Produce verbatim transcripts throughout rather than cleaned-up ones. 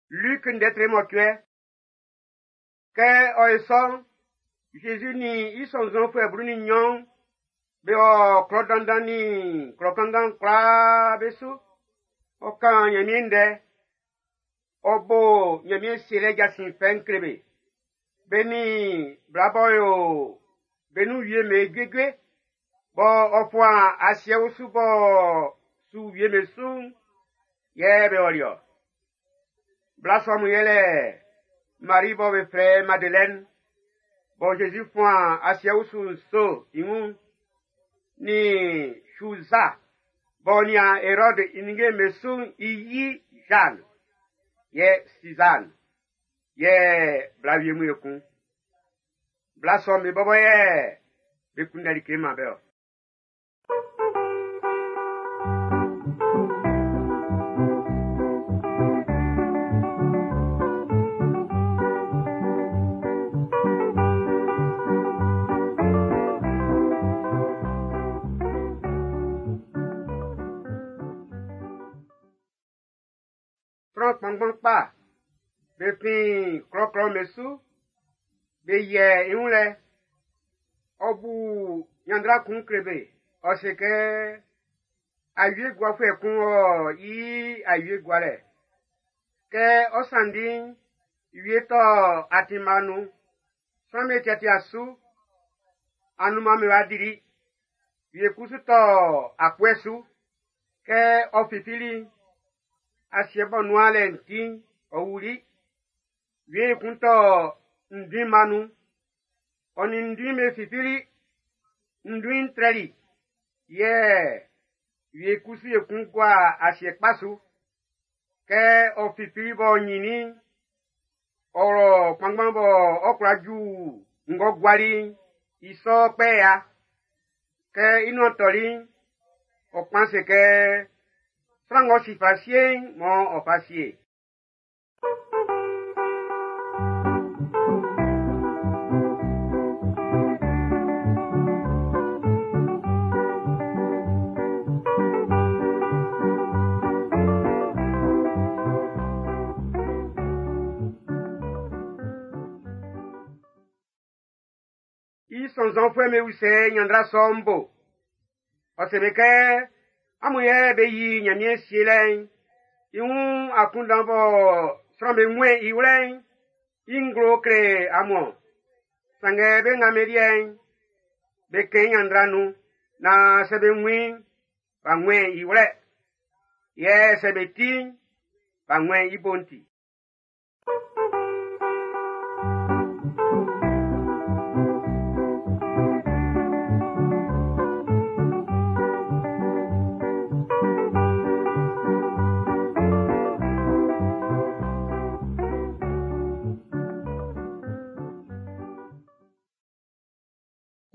Luc ndɛ mɔcuɛ. Kɛ ɔ ye sɔ'n, Jésus nin i sɔnnzɔnfuɛ blu nin nnyɔn be wɔ klɔ dandan nin klɔ kanngan kwlaa be su. Ɔ kan Ɲanmiɛn ndɛ. Ɔ bo Ɲanmiɛn sielɛ jasin fɛ'n kle be. Be nin bla b'ɔ yo be nun wie'm be juejue, bɔ ɔ fuan asiɛ usu b'ɔ su wie'm be su'n, yɛ be ɔli-ɔ. Bla sɔ mun yɛlɛ Marie bɔ be flɛ Madeleine, bɔ Jésus fuan asiɛ usu nso i wun, nin Suza b'ɔ nian Hérode i ninnge'm be su'n i yi Jeanne, yɛ Suzanne, yɛ bla wie mun ekun. Bla sɔ'm be bɔbɔ yɛ be kunndɛ like man be-ɔ. Sran kpanngban kpa be fin klɔklɔ'm be su, be yiɛ i wun lɛ. Ɔ bu ɲanndra kun kle be. Ɔ se kɛ awie guafuɛ kun ɔ yi awie gualɛ. Kɛ ɔ sanndi'n, wie tɔ atinma nun. Sran'm be tiatia su, anunman'm be wa dili. Wie kusu tɔ akpɔɛ su. Kɛ ɔ fifili'n, asiɛ bɔ nuan lɛ'n ti'n, ɔ wuli. Wie kun tɔ nduinma nun. Ɔ nin nduin be fifili. Nduin'n trɛli. Yɛ wie kusu ekun gua asiɛ kpa su. Kɛ ɔ fifili b'ɔ ɲinnin'n, ɔ wlɔ kpanngban bɔ ɔ kwla ju ng'ɔ guali'n, i sɔ kpɛ ya. Kɛ i nuan tɔli'n, ɔ kpan se kɛ, sran ng'ɔ si fa sie'n, mɔ ɔ fa sie. I sɔnnzɔnfuɛ'm be usɛ ɲanndra sɔ'n bo. Ɔ se be kɛ, amun yɛ be yi Ɲanmiɛn sielɛ'n, i wun akunndan bɔ sran'm be wun i wlɛ'n, i nglo kle amun. Sanngɛ be nga be liɛ'n, be kɛn ɲanndra nun, naan sɛ be wun i'n, b'a wun i wlɛ. Yɛ sɛ be ti'n, b'a wun i bo'n ti.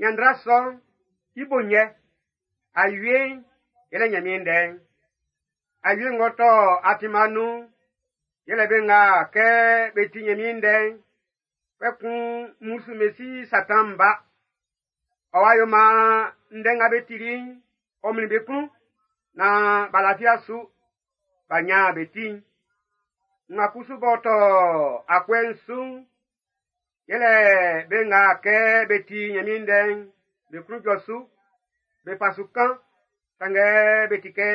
Ɲanndra sɔ'n, i bo nyɛ. Awie'n, yɛlɛ Ɲanmiɛn ndɛ'n. Awie ng'ɔ tɔ atinma nun'n, yɛlɛ be nga kɛ be ti Ɲanmiɛn ndɛ'n, kpɛkun mmusu mesi Satan ba. Ɔ wa yo maan ndɛ nga be tili'n, ɔ mlin be klun, naan b'a lafi su, b'a ɲan be ti'n. Nga kusu b'ɔ tɔ akpɔɛ'n su'n, yɛlɛ be nga kɛ be ti Ɲanmiɛn ndɛ'n, be klun jɔ su, be fa su kan, sanngɛ be ti kɛ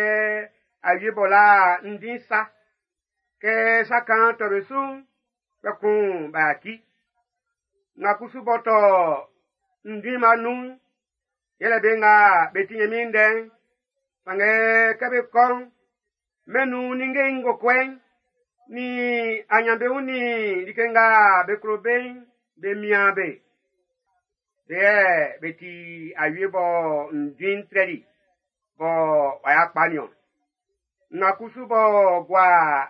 awie bɔ la ndin sa. Kɛ sa kan tɔ be su'n, kpɛkun b'a yaci. Nga kusu b'ɔ tɔ ndinma nun'n, yɛlɛ be nga be ti Ɲanmiɛn ndɛ'n, sanngɛ kɛ be kɔ'n, mɛn nun ninnge ngokɔɛ'n, nin aɲanbeun nin like nga be klo be'n, be mian be. Be yɛ be ti awie bɔ nduin'n trɛli, bɔ w'a ya kpa niɔn. Nga kusu bɔ gua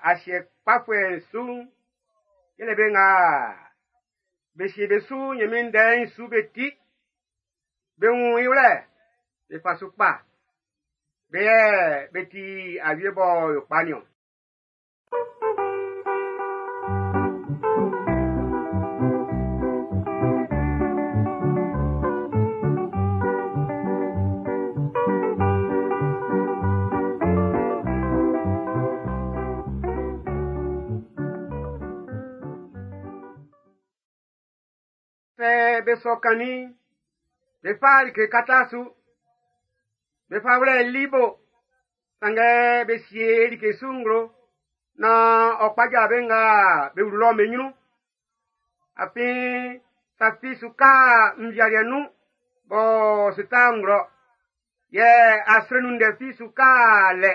asiɛ kpafuɛ'n su'n, yɛlɛ be nga be sie be su Ɲanmiɛn ndɛ'n su be ti. Be wun i wlɛ, be fa su kpa. Be yɛ be ti awie bɔ yo kpa niɔn. Sɛ be sɔ kannin'n, be fa like kata su. Be fa wlɛ i bo, sanngɛ be sie like su nglo naan ɔ kpaja be nga be wlu lɔ'n be ɲrun. Afin sa fi su ka nvialiɛ nun b'ɔ su ta nglɔ. Yɛ asre nun ndɛ fi su ka lɛ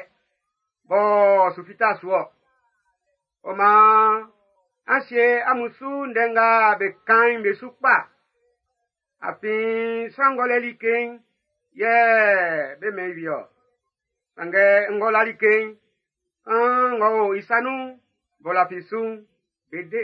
b'ɔ su fita su ɔ. Ɔ maan, an sie amun su ndɛ nga be kan'n be su kpa. Afin sran ng'ɔ lɛ like'n, yɛ be mɛn i ɔ. Sanngɛ ng'ɔ la like'n, kan ng'ɔ o i sa nun'n, b'ɔ lafi su'n, be de.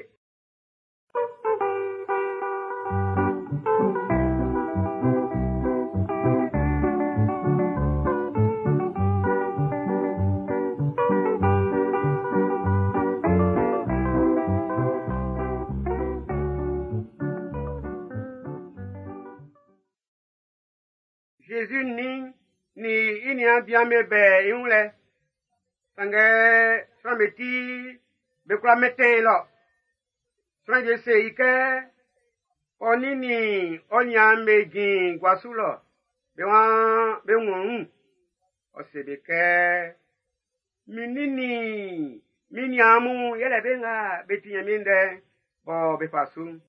Jésus nin ni i niaan bian be bɛ i wun lɛ. Sanngɛ sran'm be ti be kwla mɛntɛn i lɔ. Sran wie se i kɛ, ɔ nin nin ɔ niaan'm be jin gua su lɔ, be waan be wun ɔ wun. Ɔ se be kɛ, min nin nin min niaan mun yɛlɛ be nga be ti Nyanmiɛn ndɛ'n bɔ be fa su'n.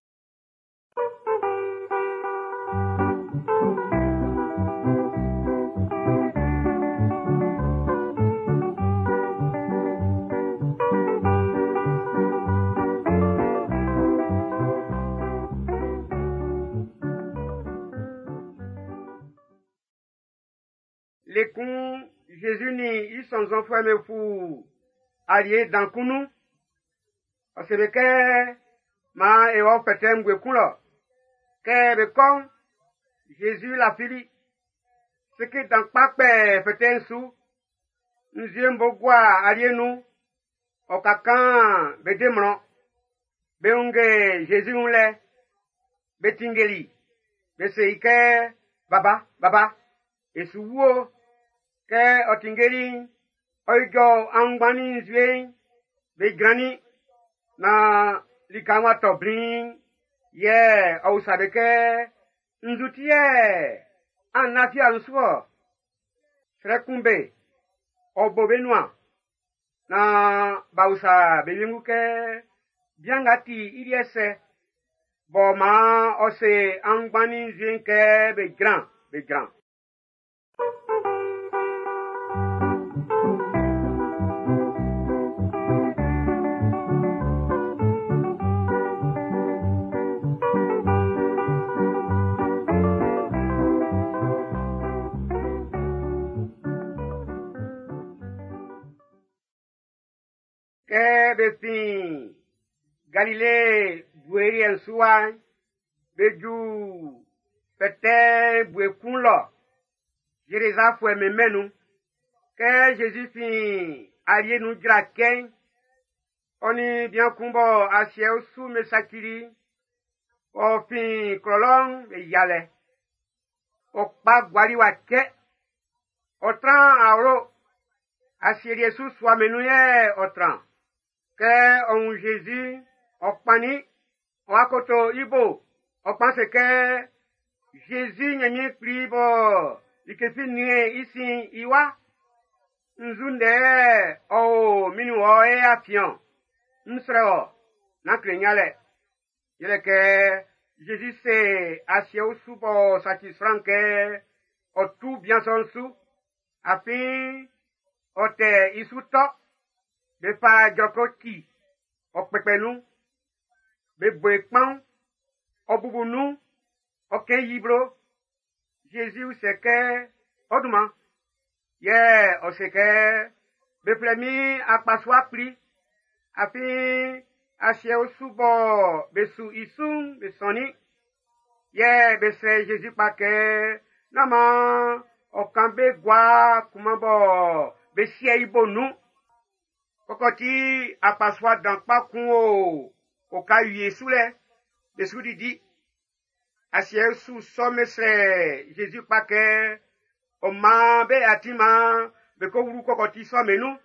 Le kun Jésus nin i sɔnnzɔnfuɛ'm be fu alie dan kun nun. Ɔ se be kɛ, maan e wɔ fɛtɛ ngue kun lɔ. Kɛ be kɔ'n, Jésus lafili. Seke dan kpa kpɛ fɛtɛ'n su. Nzue'n bo gua alie nun. Ɔ ka kan be de mlɔn. Be wunge Jésus wun lɛ. Be tinngeli. Be se i kɛ, baba, baba, e su wu o. Kɛ ɔ tinngeli'n, ɔ ijɔ aunngban nin nzue'n, be jrannin naan lika'n w'a tɔ bliin. Yɛ ɔ usa be kɛ, nzu ti yɛ an lafi amun su ɔ? Srɛ kun be, ɔ bo be nuan. Naan b'a usa be wiengu kɛ, bian nga ti i liɛ sɛ, bɔ maan ɔ se aunngban nin nzue'n kɛ be jran, be jran. Kɛ be fin Galile bue liɛ'n su wa'n, be ju fɛtɛ bue kun lɔ, Zerezafuɛ'm be mɛn'n nun. Kɛ Jésus fin alie nun jra cɛ'n, ɔ nin bian kun bɔ asiɛ osu me sacili, ɔ fin klɔ lɔ'n be yialɛ. Ɔ kpa guali wa cɛ, ɔ tran awlo, asieliɛ su sua me nun yɛ ɔ tran. Kɛ ɔ wun Jésus, ɔ kpannin, ɔ akoto i bo, ɔ kpan se kɛ, Jésus Nyanmiɛn kpli bɔ like fi nien i sin i wa. Nzu ndɛ ɔ o min nin wɔ e afiɛn, n srɛ wɔ, nán kle yalɛ. Yɛlɛ kɛ Jésus se asiɛ osu b'ɔ saci sran kɛ ɔ tu bian sɔ'n su. Afin ɔ tɛ i su tɔ. Be fa jɔkɔ ci, ɔ kpɛkpɛ nun. Be bo e kpaun, ɔ bubu nun, ɔ kɛn yi blo. Jésus se kɛ, ɔ dunman. Yɛ ɔ se kɛ, be flɛ min akpasua kpli. Afin asiɛ osu bɔ be su i su'n be sɔnnin. Yɛ be srɛ Jésus kpa kɛ, nán maan ɔ kan be gua kunman bɔ be sie i bo nun. Kɔkɔti akpasua dan kpa kun o oka wie su lɛ, be su didi. Asiɛ su sɔ me srɛ Jésus kpa kɛ, ɔ maan be atin maan be ko wlu kɔkɔti sɔ me nun.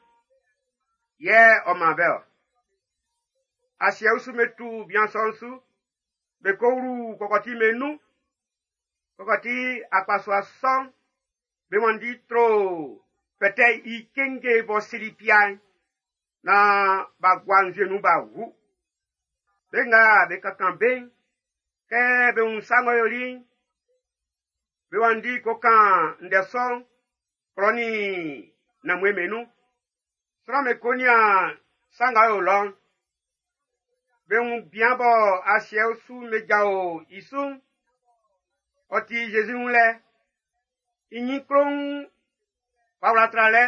Yɛ ɔ man be ɔ. Asiɛ osu me tu bian sɔ'n su. Be ko wlu kɔkɔti be nun. Kɔkɔti akpasua sɔ'n, be wanndi tro fɛtɛ i kenge bɔ sili pia'n, na b'a gua nzue nun b'a wu. Be nga be kankan be'n, kɛ be wun sa ng'ɔ yoli'n, be wanndi ko kan ndɛ sɔ'n klɔ nin nanmue be nun. Sran'm be ko nian sa nga o lɔ'n. Be wun bian bɔ asiɛ su be jao i su'n, ɔ ti Jésus wun lɛ. I nyin klon w'a wla tralɛ,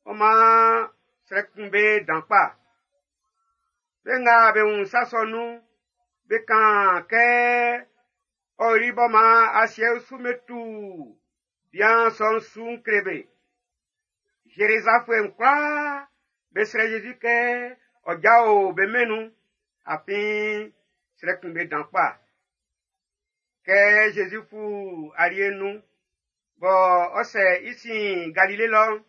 ɔ maan srɛ kun be dan kpa. Be nga be wun sa sɔ nun'n, be kan kɛ ɔ yoli bɔ maan asiɛ su be tu bian sɔ'n su'n kle be. Zerizalɛmfuɛ'n kwlaa be srɛ Jésus kɛ ɔ jao be mɛn'n nun, afin srɛ kun be dan kpa. Kɛ Jésus fu alie'n nun, bɔ ɔ sɛ i sin Galile lɔ'n,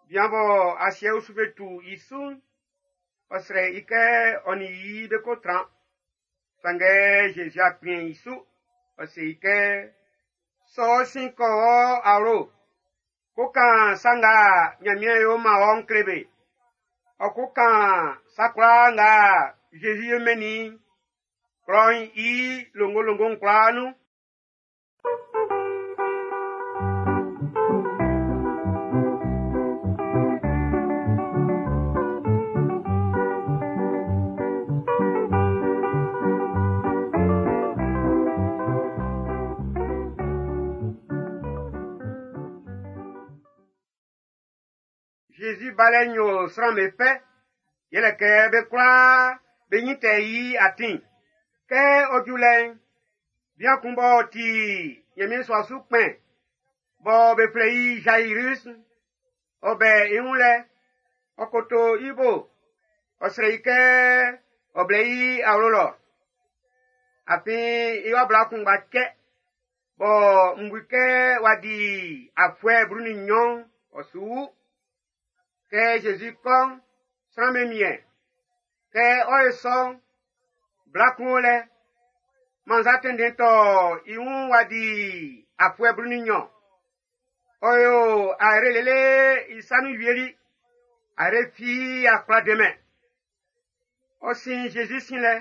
bian bɔ asiɛ su be tu i su'n, ɔ srɛ i kɛ ɔ nin i be ko tran. Sanngɛ Jésus a kplin i su, ɔ se i kɛ, sɔ ɔ sin kɔ ɔ awlo, ko kan sa nga Nyanmiɛn yo man ɔ'n kle be. Ɔ ko kan sa kwlaa nga Jésus yo mɛnnin i'n, klɔ'n i longolongo'n kwlaa nun. Jésus balɛ nyo sran be fɛ, yɛlɛ kɛ be kwlaa be nyin tɛ i atin. Kɛ ɔ ju lɛ'n, bian kun b'ɔ ti Nyanmiɛn sua su kpɛn, bɔ be flɛ i Jairus, ɔ bɛ i wun lɛ, ɔ koto i bo, ɔ srɛ i kɛ ɔ blɛ i awlo lɔ. Afin i wa bla kunngba cɛ, bɔ n bu kɛ w'a di afuɛ blu nin nnyɔn, ɔ su wu. Kɛ Jésus kɔ'n, sran be miɛn. Kɛ ɔ ye sɔ'n, bla kun o lɛ, mannza tɛnndɛn tɔ i wun w'a di afuɛ blu nin nnyɔn. Ɔ yo ayre lele i sa nun wieli, ayre fi a kwla demɛn. Ɔ sin Jésus sin lɛ,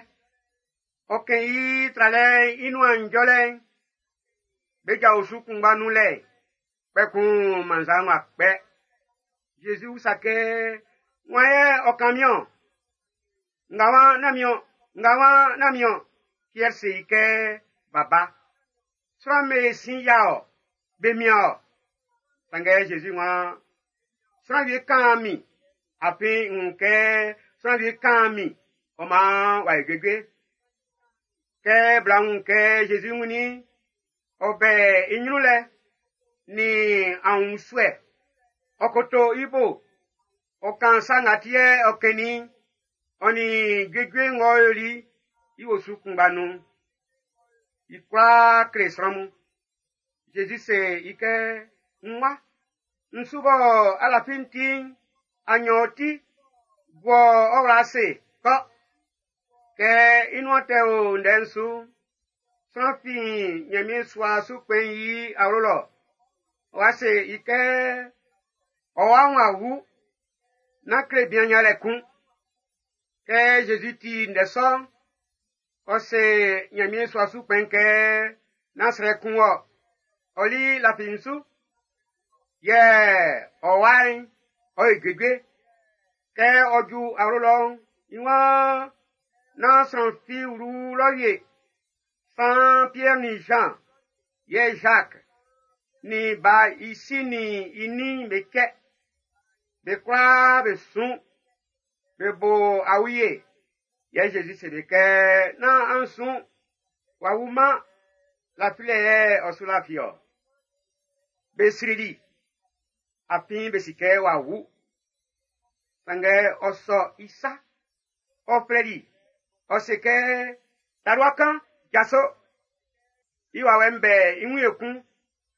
ɔ kɛn i tralɛ'n i nuan njɔlɛ'n, be ja osu kunngba nun lɛ, kpɛkun mannza'n w'a kpɛ. Jésus usa kɛ, wan yɛ ɔ kan min-ɔn? Nga wan na min-ɔn? Nga wan na min-ɔn? Pierre se i kɛ, baba, sran me sin ya ɔ, be mian ɔ. Sanngɛ Jésus wan, sran wie kan min, afin n wun kɛ sran wie kan min, ɔ maan w'a yi juejue. Kɛ bla wun kɛ Jésus wunnin, ɔ bɛ i ɲrun lɛ, ni awunsue, ɔ koto i bo, ɔ kan sa nga ti yɛ ɔ kɛnnin, ɔ nin juejue ng'ɔ yoli i osu kunngba nun. I kwlaa kle sran mun. Jésus se i kɛ, n wa, n su bɔ alafi'n ti'n, a nyɔ ti, bɔ ɔ wla ase, kɔ. Kɛ i nuan tɛ o ndɛ'n su, sran fin Nyanmiɛn sua su kpɛn'n i awlo lɔ. Ɔ wa se i kɛ, ɔ wa wun awu, nán kle bian yalɛ kun. Kɛ Jésus ti ndɛ sɔ'n, ɔ se Nyanmiɛn sua su kpɛn'n kɛ, nán srɛ kun wɔ, ɔ li lafi n su. Yɛ ɔ wa'n, ɔ ye juejue. Kɛ ɔ ju awlo lɔ'n, i waan nán sran fi wlu lɔ wie. San Pierre ni Jean, yɛ Jacques, ni ba i si ni i nin be kɛ. Be kwlaa be sun, be bo awie. Yɛ Jésus se be kɛ, nán an sun, w'a wuman, lafilɛ yɛ ɔ su lafi ɔ. Be srili, afin be si kɛ w'a wu. Sanngɛ ɔ sɔ i sa, ɔ flɛli, ɔ se kɛ, talua kan, jaso. I wawɛ'n bɛ i wun ekun,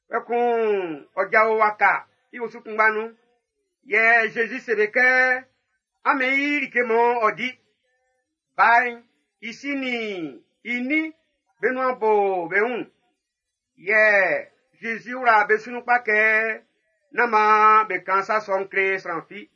kpɛkun ɔ jao waka i osu kunngba nun. Yɛ Jésus se be kɛ, an mɛn i like mɔ ɔ di. Ba'n, i si nin i nin be nuan bo be wun. Yɛ Zezi wla be su nun kpa kɛ nán maan be kan sa sɔ'n kle sran fi.